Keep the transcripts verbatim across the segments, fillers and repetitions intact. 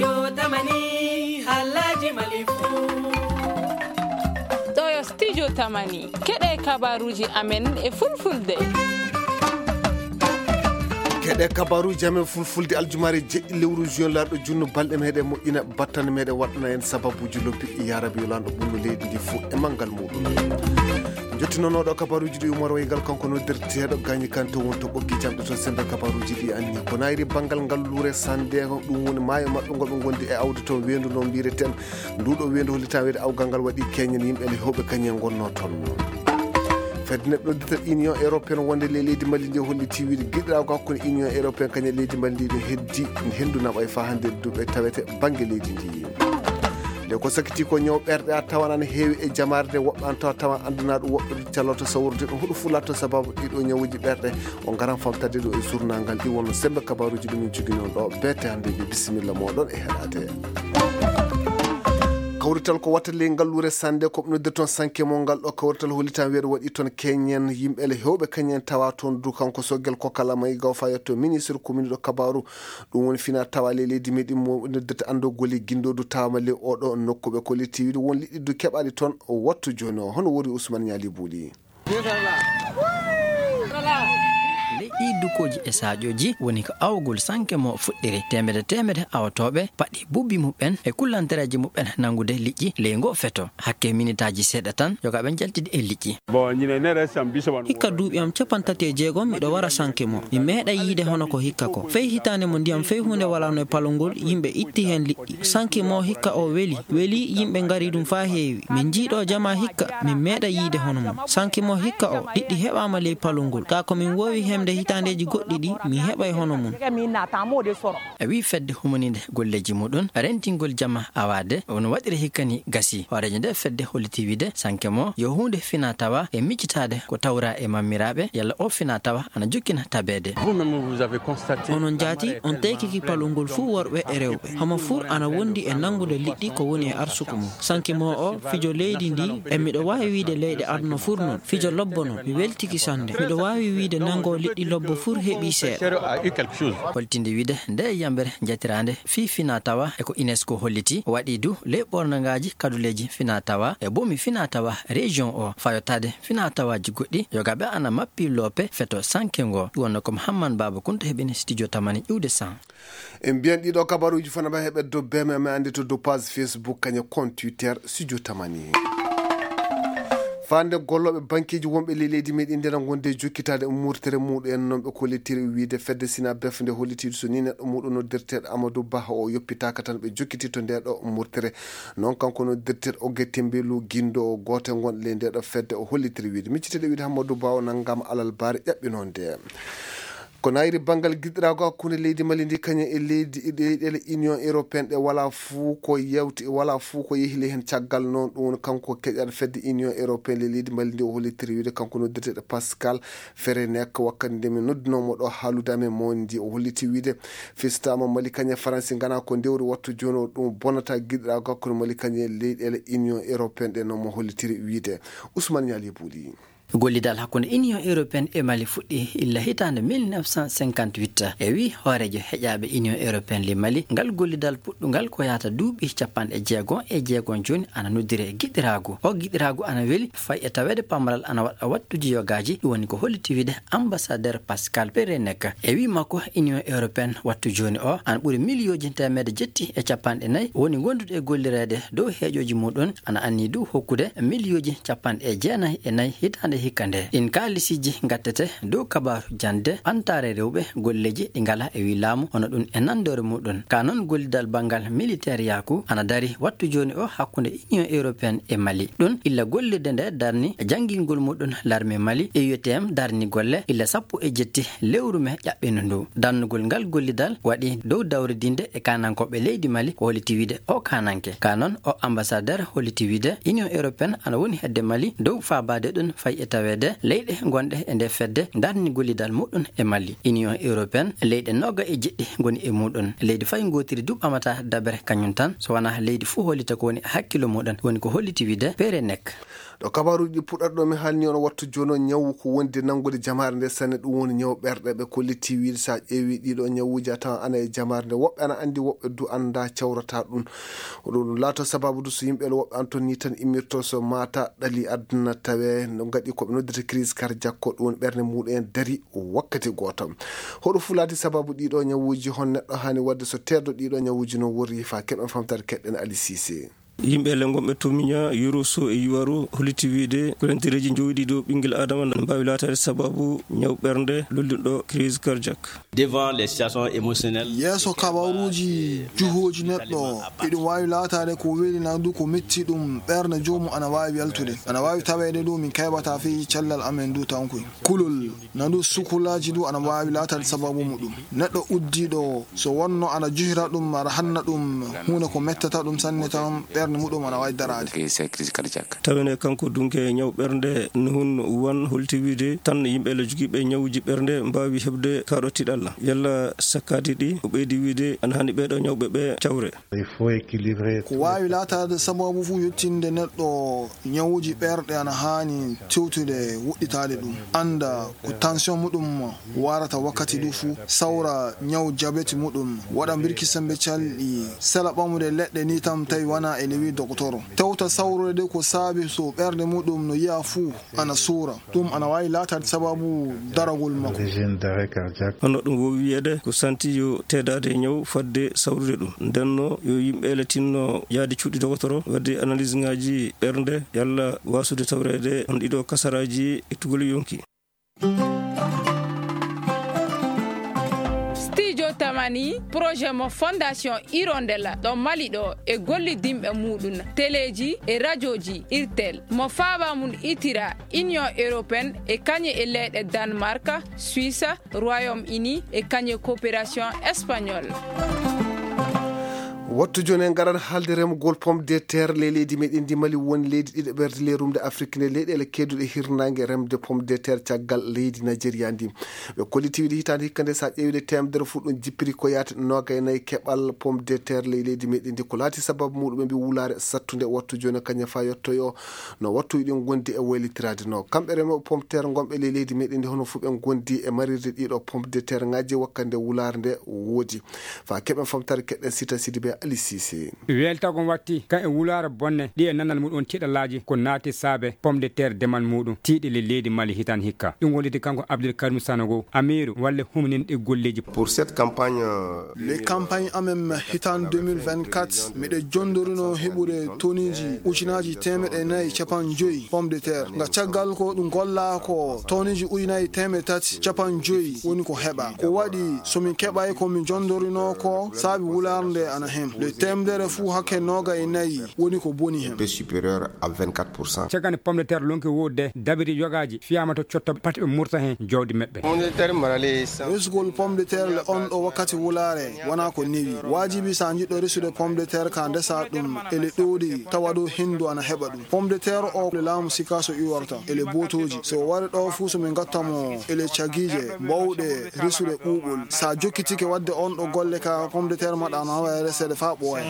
Yo tamani halaji malifu. Ɗo yo studio tamani. Keɗe kabaruji amen e fulfulde. Keɗe kabaruji amen fulfulde aljumaare jeɗɗi lewru juin, laaɗo junno balɗe meɗen moƴƴina, battane meɗen waɗana en sababuji lobbi. Ya Rabbi, yo lanɗo ɓurno leydi ndi fof e manngal muɗum. Jottinonooɗo kabaruji ɗi Umar Waygal, kanko noddirteeɗo Gañi Kante, won to ɓoggi jamɗe to sembe kabaruji ɗi anni. Ko nayri banngal ngal luure sande, ɗum woni maayo maɓɓe ngol ɓe ngondi e awde toon weendu no mbiyeten. Nduɗo weendu hollitaa weede awgal ngal waɗi keñen yimɓe le hewɓe kañum en ngonno toon. Fedde neɗɗo dita Union Européenne wonde le leydi Mali ndi holliti wiide giɗiraago hakkunde Union Européenne kañum e leydi Mali ndi ɗum heddi hendu naɓay faa hannde duɓe tawete bannge leydi ndi. Nde ko sakiti ko ñaw ɓerɗe a tawan ana heewi e jamaare nde, woɓɓe an tawa tawan anndunaaɗo woɓɓe caloto sawrude ɗum. Huɗo fulato sababu ɗiɗo ñawuji ɓerɗe o ngaran famtade ɗo e journal ngal. Ɗi wonno sembe kabaruji ɗum min cogino ɗo. Beete hannde ɓe bisimilla moɗon e heɗade. Kawrital ko watta ley ngalluure sande ko ɓe noddirta toon sanke mo ngal ɗo kawrital hollitan weeɗo waɗi toon keñen yimɓe le hewɓe kañen tawa toon du kanko soggel ko kala may gaw fa yetto ministre commune ɗo kabaru. Ɗum woni fina tawa le leydi meɗin mo noddirta anndo goli guindo du tawama le oɗo nokku ɓe kolliti wiide won liɗɗi du keɓali toon wattu joni o hono wori Ousmane Ñali Buuli. Ley ɗii dukooji e saƴooji woni ko awgol sanke mo fuɗɗiri. Teemede teemede awotooɓe paɗi bubbi muɓɓen e kullantereeji muɓɓen nanngude liƴƴi ley ngoo feto. Hakke minitaaji seeɗa tan, yogaaɓe njaltidi e liƴƴi. Hikka duuɓi am capanɗe tati e jeegom miɗo wara sanke mo. Mi meeɗa yiide hono ko hikka ko. Fey hitaande mo ndiyam fey huunde walaano e palol ngol, yimɓe itti heen liƴƴi. Sanke mo hikka o weli, weli yimɓe ngari ɗum faa heewi. Min njii ɗo jamaa hikka, min meeɗa yiide hono mum. Sanke mo hikka o, liƴƴi heɓaama ley palol ngol. Kaa ko min woowi heɓde hitaandeeji goɗɗi ɗi, mi heɓay hono mum. E wii fedde humaniinde golleeji muɗum, rentingol jamaa awaade, no waɗiri hikka ni gasi. Hooreejo nde fedde holliti wiide, sanke mo yo huunde fina tawa e miccitaade ko tawra e mammiraaɓe, yalla o fina tawa ana jokkina tabeede. Onon njaati, on teykiki palol ngol fuu worɓe e rewɓe. Homo fuu ana wondi e nanngude liƴƴi ko woni e arsuku mum. Sanke mo o, fijo leydi ndi, e miɗo waawi wiide leyɗe aduna fuu noon. Fijo lobbo noon, mi weltiki sannde. Miɗo waawi wiide nanngo liƴƴi lobbo fuu heɓi seeɗa. Holtinde wiide nde yambere njatiraande fii fina tawa e ko UNESCO holliti, waɗi du ley ɓornangaaji kaduleeji fina tawa e boomi fina tawa région o, fayotaade fina tawaaji goɗɗi, yogaaɓe ana mappi loope feto sanke ngo. Ɗum wonno ko Mouhammad Baba Kunta heɓini studio Tamani iwde san. En mbiyan ɗiɗo kabaruuji fof na mbaɗa heɓe dow B M M, anndi to dow page Facebook, kañum compte Twitter, Studio Tamani. Faande gollooɓe bankeeji wonɓe ley leydi meɗen ndi na ngonde jokkitaade murtere muɗum en, noon ɓe kollitiri wiide fedde Sinabef nde hollitiiɗo so ni neɗɗo muɗum noddirteeɗo Amadou Ba o yoppitaaka tan ɓe jokkiti to nde ɗo murtere. Noon kanko noddirteeɗo Oge Tembelu Gindo o gooto ngon ley nde ɗo fedde o hollitiri wiide micciteeɗo wiide Amadou Ba o nanngama alal baare ƴaɓɓinoo nde. Ko nayri banngal giɗiraago hakkunde leydi Mali ndi kañum e leydi e leyɗeele Union Européenne ɗe walaa fuu ko yewti, walaa fuu ko yehi ley heen caggal noon. Ɗum woni kanko keƴal fedde Union Européenne ley leydi Mali ndi o hollitiri wiide kanko noddirteeɗo Pascal Ferenek wakkati nde mi noddunoo mo ɗo haalude amen mo ndi o holliti wiide fistaama Mali kañum e Faransi ngana ko ndewri wattu jooni o ɗum bonata giɗiraago hakkunde Mali kañum e leyɗeele Union Européenne ɗe noon mo hollitiri wiide Ousmane Ñaali Buuli. Gollidal hakkunde Union Européenne e Mali fuɗɗi illa hitaande mille neuf cent cinquante-huit. E wii hooreejo heƴaaɓe Union Européenne ley Mali, ngal gollidal puɗɗungal ko yahata duuɓi capanɗe jeegom e jeegom jooni ana noddiri e giɗiraagu. O giɗiraagu ana weli fay e taweede pamaral ana waɗa wattuuji yogaaji, ɗum woni ko holliti wiide ambassadeur Pascal Perenek. E wii makko Union Européenne wattu jooni o ana ɓuri miliyooji teemedde jetti e capanɗe nayi woni gondude e gollireede dow heeƴooji muɗum, ana anni du hokkude miliyooji capanɗe jeenayi e nayi hitaande hikka nde. Ɗin kaalisiiji ngattete dow kabaaru jannde ɓantaare rewɓe golleeji ɗi ngalaa e wii laamu hono ɗum e nanndoore muɗum. Ka noon gollidal banngal militeeriyaaku ana dari wattu jooni o hakkunde Union Européenne e Mali. Ɗum illa gollirde nde darni e janngingol muɗum larme Mali, E U T M darni golle illa sappo e jetti lewru me ƴaɓɓindu ndu. Darnugol ngal gollidal waɗi dow dawridinde e kaanankooɓe leydi Mali ko holliti wiide o kaananke. Ka noon o ambassadeur holliti wiide Union Européenne ana woni hedde Mali dow faabaade ɗum fay e taweede leyɗe gonɗe e nde fedde darni gollidal muɗum e Mali. Union Européenne leyɗe nooga e jeɗɗi ngoni e muɗum. Leydi fay ngootiri du ɓamata dabere kañum tan so wanaa leydi fuu hollita ko woni hakkillo muɗum woni ko holliti wiide Perenek. Ɗo kabaaruuji ɗi puɗɗata ɗo mi haalni on wattu jooni o, ñawu ko wondi nanngude jamaare nde sanne, ɗum woni ñawu ɓerɗe. Ɓe kolliti wiide so a ƴeewi ɗiɗo ñawuuji a tawan ana e jamaare nde, woɓɓe ana anndi, woɓɓe du annda cawrata ɗum. Ko ɗum ɗum laato sababu du so yimɓe woɓɓe an toon ni tan immirto so maata ɗali aduna tawe no ngaɗi ko ɓe noddirta crise cardiaque, ko ɗum woni ɓernde muɗum en dari wakkati gooto. Hoɗo fulaati sababu ɗiɗo ñawuuji, hon neɗɗo haani waɗde so teedo ɗiɗo ñawuuji no worri fa keɓen famtare keɗɗen Ali Cissé. Yimɓe le ngonɓe to Miña, Yoroso e Yuwaro holliti wiide ko lentereeji njowiɗi dow ɓinngel Adama ne mbaawi laataade sababu ñaw ɓernde lollinɗo crise cardiaque. Devant les situations émotionnelles. Yeeso kabaruuji juhooji neɗɗo, iɗum waawi laataade ko weli na du ko metti ɗum ɓernde joomum ana waawi yaltude. Ana waawi taweede du min kayɓata fii cellal amen du tankoy. Kulol na du sukulaaji du ana waawi laataade sababu muɗum. Neɗɗo uddiiɗo so wonno ana juhira ɗum, aɗa hanna ɗum huunde ko mettata ɗum sanne tan, ɓernde muɗum ana waawi daraade. Tawene kanko dunke ñaw ɓernde Nuhun Wan holti wiide tan yimɓe le jogiiɓe ñawuji ɓernde mbaawi heɓde kaɗo tiɗalla. Yalla sakkaadi ɗi o ɓeydi wiide ana hani ɓeeɗo ñawɓe ɓe cawre. Ko waawi laataade sababu fof yettinde neɗɗo ñawuji ɓerɗe ana haani tewtude woɗɗitaade ɗum. Annda ko tension muɗum warata wakkati du fuu, sawra ñaw jabeti muɗum, waɗa mbirki sembe calɗi, sela ɓamude leɗɗe ni tan tawi wana e lewi dogotoro. Tewta sawrude de ko saabi so ɓerɗe muɗum no yi'a fuu ana suura. Ɗum ana waawi laataade sababu daragol makko. Hono ɗum wowi wiyeede ko santi yo teedaade e ñaw fadde sawrude ɗum. Ndenno yo yimɓe ele tinno yaade cuuɗi dogotoro, wadde analyse ŋaaji ɓernde, yalla wasude tawreede on ɗiɗo kasaraaji e tugol yonki. Studio Tamani, projet mo Fondation Hirondelle ɗo Mali ɗo e gollidinɓe muɗum, teleeji e rajooji Irtel, mo faaba mum itira Union Européenne e kañe e leyɗe Danemark, Suisse, Royaume-Uni e kañe coopération espagnole. Wattu jooni en ngaran haalde remgol pomme de terre ley leydi meɗen ndi. Mali woni leydi ɗiɗaɓerde ley rumde Afrik nde leyɗeele keeduɗe hirnaange remde pomme de terre caggal leydi Nigeria ndi. Ɓe kolliti wiide hitaande hikka nde, so a ƴeewi ɗe teemedere fof ɗum jippiri ko yaata noogay nayi keɓal pomme de terre ley leydi meɗen ndi. Ko laati sababu muɗum ɓe mbi wulaare sattunde wattu jooni kañum fa yettoyo no wattu ɗin gondi e waylitiraade no. Kamɓe remooɓe pomme de terre ngonɓe ley leydi meɗen ndi hono fof ɓe gondi e marirde ɗiɗo pomme de terre ŋaaji wakkati nde wulaare nde woodi. Fa keɓen famtare keɗɗen Sita Sidibé Ali Cissé. Weeltagol watti kan e wulaare bonne ɗi e nanal muɗum tiiɗalaaji ko naati saabe pomme de terre demal muɗum tiiɗi le leydi Mali hitan hikka. Ɗum woniti kanko Abdul Karim Sanogo, amiiru walle humninɗi golleeji. Pour cette campagne, euh, Les campagne amen hitan deux mille vingt-quatre, miɗe jondorino heɓude toniji ujunaaji teemeɗe nayi capanɗe joyi pomme de terre. Nga caggal ko ɗum golla ko toniji ujunaaji teemeɗe tati capanɗe joyi woni ko heɓa. Ko waɗi so min keɓay ko min jondorino ko saabi wulaare nde ana hen. Le teemedere fuu hakke noogay e nayi woni ko boni hen. Baisse supérieure à vingt-quatre pour cent. Caggal nde pomme de terre lonki woodde, dabiri yogaaji fiyaama to cotto pati ɓe murta hen jawdi maɓɓe. Resugol pomme de terre le on ɗo wakkati wulaare wona ko newi. Waajibi so a jiɗɗo resude pomme de terre ka ndesa ɗum ele ɗoɗi tawa ɗo hendu ana heɓa ɗum. Pomme de terre o le laamu sikaso iworta ele botoji. So wari ɗo fuu so min gatta mo ele cagiije bawɗe resude ɓuuɓol. Sa jokkitike wadde on ɗo golle ka pomme de terre maɗa no hawa reseede fa ɓooya.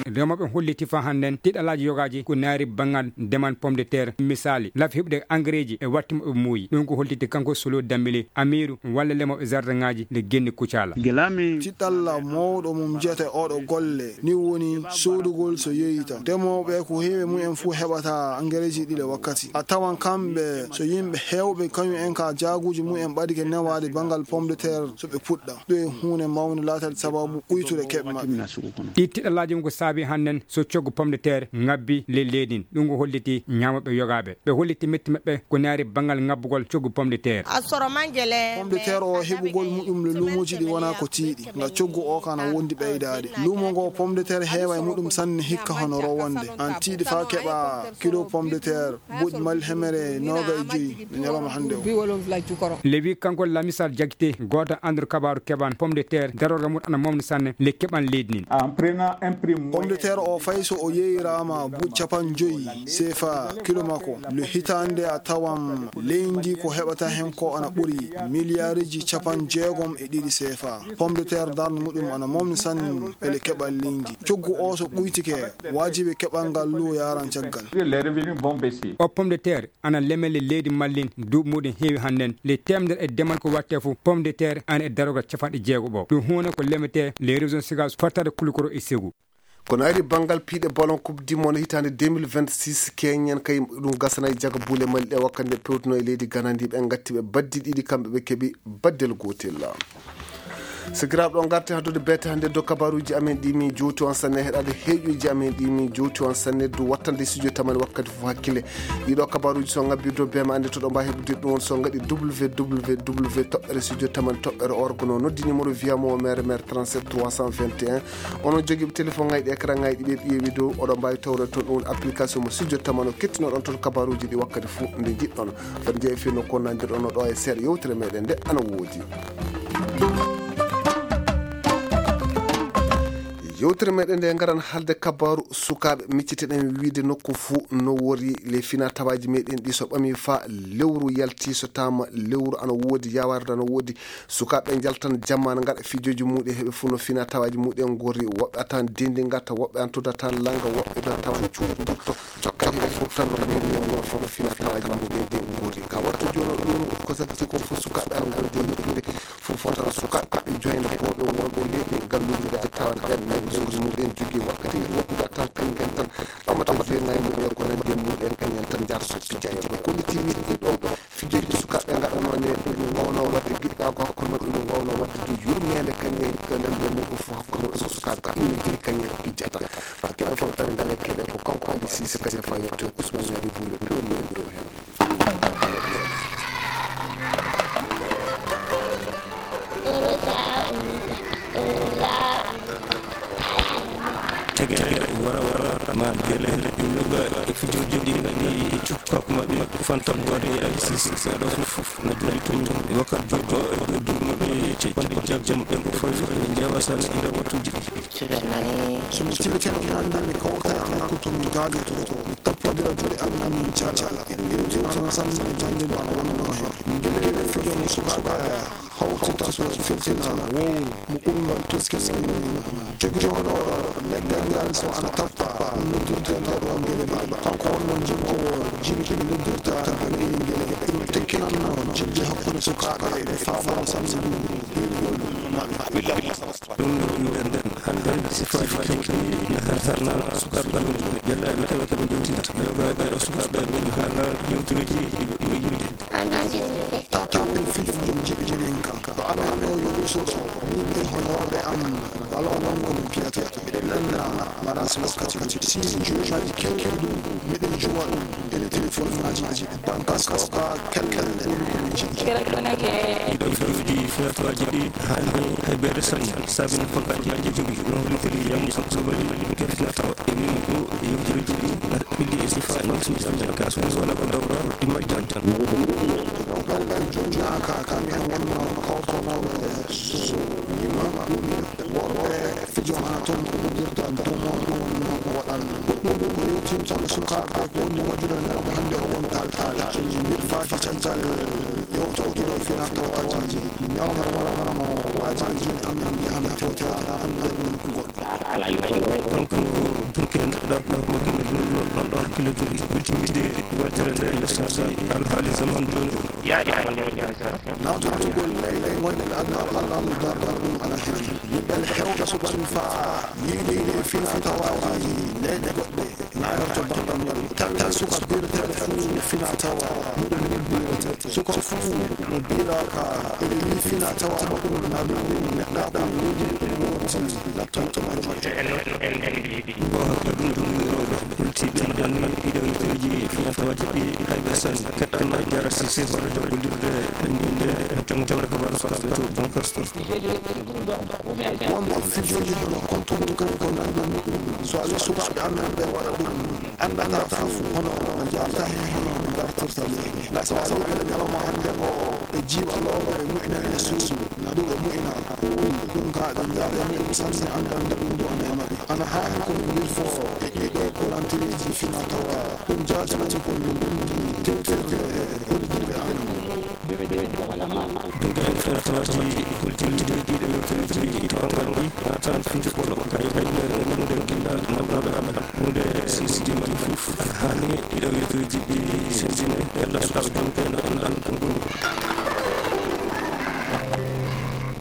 Remoɓe holliti fa hannden tiɗalaaji yogaaji ko naari banngal ndeman pomme de terre. Misali, lafi heɓude engrais ji e watti mo ɓe muuyi. Ɗum ko holliti kanko Solo Dambili, amiiru walla lemoɓe jardin ŋaaji le genni Kucala. Tiɗalla mawɗo mum jiyata e oɗo golle ni woni soodugol so yeeyita. Demooɓe ko heewi mumen fuu heɓata engareeji ɗi le wakkati. A tawan kamɓe so yimɓe heewɓe kañum en ka jaaguuji mumen ɓadike newaade banngal pomme de terre so ɓe puɗɗa. Ɗo e huunde mawnde laatata sababu ɓuytude keɓe maɓɓe. Ɗi tiɗalaaji mum ko saabi hannden so coggu pomme de terre ngabbi le leydi. Ɗum ko holliti ñaamooɓe yogaaɓe. Ɓe holliti metti maɓɓe ko naari banngal ngabbugol coggu pomme de terre. Pomme de terre o heɓugol muɗum le luumoji ɗi wona ko tiiɗi. Nga coggu o kana wondi ɓeydaade. Luumo ngo pomme de terre heewa e muɗum sanne hikka hono rowonde. An tiiɗi fa keɓa kilo pomme de terre boɗi mali hemere noga e joyi no ñalawma hannde o. Lewi kanko Lamisal Jagite, gooto anndor kabaaru keɓan pomme de terre, darorga mum ana mawni sanne le keɓan leydi nin. Pomme de terre o, fay so o yeeyiraama buuɗi capanɗe joyi seefa kilo makko, le hitaande a tawan leydi ko heɓata heen ko ana ɓuri miliyaariji capanɗe jeegom e ɗiɗi seefa. Pomme de terre darnde muɗum ana mawni sanne e le keɓal leydi. Coggu o so ɓuytike, waajibi keɓal ngal luuwo yaran caggal. O pomme de terre ana leme le leydi Mali, duuɓi muɗum heewi hannden. Le teemedere e demal ko watte fof, pomme de terre ana e darogal capanɗe jeego ɓo. Ɗum huune ko lemete le région Sikaas, fattade Kulukoro e Segu. Kono ari banngal piiɗe ballon Coupe du Monde hitaande deux mille vingt-six, keñen kay ɗum gasana e jaga buule Mali ɗe, wakkati nde pewtuno e leydi Ghana ndi, ɓe ngatti ɓe baddi ɗiɗi, kamɓe ɓe keɓi baddel gootel. Sakiraaɓe, ɗo ngarten haddude beete hannde dow kabaruuji amen ɗi min jowti on sanne, heɗaade heeƴuuji amen ɗi min jowti on sanne, dow wattande studio tamani wakkati fof hakkille. Ɗiɗo kabaruuji so ngabbi dow bee ma annde to ɗo mbaawi heɓude ɗum on so ngaɗi w w w toɓɓere studio tamani toɓɓere org no noddi numéro via mo mere mere trente-sept trois cent vingt et un. Onon jogiiɓe téléphone ŋaaji ɗi, écran ŋaaji ɗi ɓe ƴeewi dow, oɗon mbaawi tawreede toon ɗum application mo studio tamano kettinoɗon toon kabaruuji ɗi wakkati fof nde njiɗɗon. Foti jeeyi fii no konnandirɗon no ɗo e seeɗa yewtere meɗen nde ana woodi. Yewtere meɗen nde ngaran haalde kabaaru sukaaɓe, micciteɗen wiide nokku fuu no wori le fina tawaaji meɗen ɗi so ɓami faa lewru yalti so taama lewru ana woodi, yawarde ana woodi. Sukaaɓe njaltan jamma ana ngaɗa fijooji muɗum heɓe fuu no fina tawaaji muɗum ngori, woɓɓe a tawan dendi ngata, woɓɓe an tuda tan langa, woɓɓe da tawan cuuɗi. Jokkani hay fof tan no mbiimi on, ɗo fof no fina tawaaji muɗum ɗi ngori. Ka wattu jooni ɗum ko satti ko fof sukaaɓe an ngol jooni ɗuuɗe. Fof fof tan sukaaɓe joyna ko ɗo wonɓe leydi galluuji ɗi a tawan ɓen nayi suudu muɗum jogii wakkati woɗɗude tan kañum en tan. Ɓamata ko joynayi muɗum ko nandi e muɗum kañum en tan njaar so pijaaji. Ko ni tiiɗi ɗo. Fijooji ɗi sukaaɓe ngaɗanoo ne, ɗum waawno waɗde giɗɗaagu hakkunde maɓɓe, ɗum waawno waɗde du yurmeende kañum e ko nanndi e mum ko fof hakkunde maɓɓe, so sukaaɓe immigiri kañum e pijata. Faa keɗe fof tan ndale keɗe ko kanko Adi Siise kañum faa yetto e Usman Ñaari Buule, ɗum woni ɗo heen. Tege tege, wara wara, ma gele, yoga e fijooji ɗi ngaɗi e cukkaku maɓɓe, fantan doode e Adi Siise. Ɗo fof na jooɗi toon e wakkati jooɗo e dow duuɓi maɓɓe capanɗe jeegom e ko fawi e njeewa sane e nder wattuuji ɗi. So mi tibitino mi annda mi kawta e nokku to mi gaajoto, mi tappodira juuɗe am, mi jaaja. Ɗum tuma no sanne jannde ɗo ana wonno heen. Min gele gele fijo mo sukaaɓe hawtita so filtina wowru mo ɓurngol tuskiskin. Jogiiɗo leggal ngal so ana tappa, ɗum noddirte nde ɗo ngele mbaɗa. Kanko wonno jimoowo jimɗi noddirta ngel ngele. Ɗum tekkinanno jimɗi hakkunde sukaaɓe ɓe faamano sanne ɗum. Ɗum ɗo nder nden hannde sifaaji kewɗi ne hartarna sukaaɓe ɓalluɓe ƴellaaɓe tawa ko ɓe jewtidata. Rewɓe ɓe o sukaaɓe ɓe haala yewtureeji ɗi ɓe ɓuri yiɗde. Tawɓe fijo mum jiɓi jinin kam. Ɗo amen ɗo yo Yuusufa, min e honorɓe am, wala o wonno no piyata. Eɗen lannda mbaɗa so wakkati. Si juumaji kewɗi ɗum, miɗen juwa ɗum e téléphone ngaji. Bankas ko ka kelkel woni ko min jiɗi. Kere ko nake. Ɗiɗo fewji fewtoji ɗi hani hay bere sañi. Sabina ko ka jaaji jogi. No holitiri yam so sobali. Kefna taw e min ko yewtiri jiɗi. Ɓilli e sifa ni so jam jam ka so wala ko dawra. Ɗi majjan tan. Ɗo galgal jonnaka kam en wonno kawtonoɓe so yima ɗum. Worɓe fijo ma toon ko uddita ɗum on ɗum waɗan. Ɗum ko yewtinta sukaaɓe ko woni waɗude nder hannde o wonta alhaali. Mbiɗ faati caggal yewto ɗiɗo fina tawaaji. Ñawna wala wala mo waaji jin am am yahan fewte an an an goɗɗo. Kanko ɗum ken ɗaɓɓo ɗon ɗon hakkille jogi. Ɓurti wiide waɗtere nde le sasi alhaali zaman jooni o. Nawtugol ley ley gonɗe Allah Allah Allah dargal ɗum ana heen. Yimɓe hewta suɓani faa yiɗi yiɗi fina tawaaji leyɗe goɗɗe. Nayorto bambam tan tan suka birtere fuu fina tawa muɗum ni birete. Suka fuu mo biraka ene ni fina tawa makko ɗum na ɗum ni neɗɗa ɗum woni ɗum wonti lattanto majji. Bo hakka ɗum ɗum wuro. Hulti ɓe ndanni ɗiɗo yewteeji fina tawaaji ɗi hay ɓe sanni. Kaɗɗe ma jara si si wala jokkondirde. Ɓe ndinde jom jom rek wala so aɓe to bon kasto. Wonɓe fijooji hono kontuɗi kadi ko nanndi ɗum. So a wii sukaaɓe amen ɓe waɗa ɗum, anndataa fof hono no njaarta heen, hono no ngartirta ɗum. Ndaa so a wii ɓe ñalawma hannde o, ɓe jiiwa looɓe, ɓe moƴƴina e suudu, na ɗum ɓe moƴƴina. Ɗum ka ɓe njaarani ɗum sanne annda nde ɗum ɗo neema ɓe. Ana haani ko min lilfoo e ɗiɗo kolantereeji fina tawa ɗum jaatinaɓe ko min ngonndi tewtirde e hoɗdiiɓe amin. Duuɓi fertaaji kultindiiɗi ɗiɗo yewtereeji tawataaɗi natal fiji kono kay wayno e wonde gila nawɗaɓe amen. Hunde sisidi mali fof ana haani ɗiɗo yewtereeji ɗi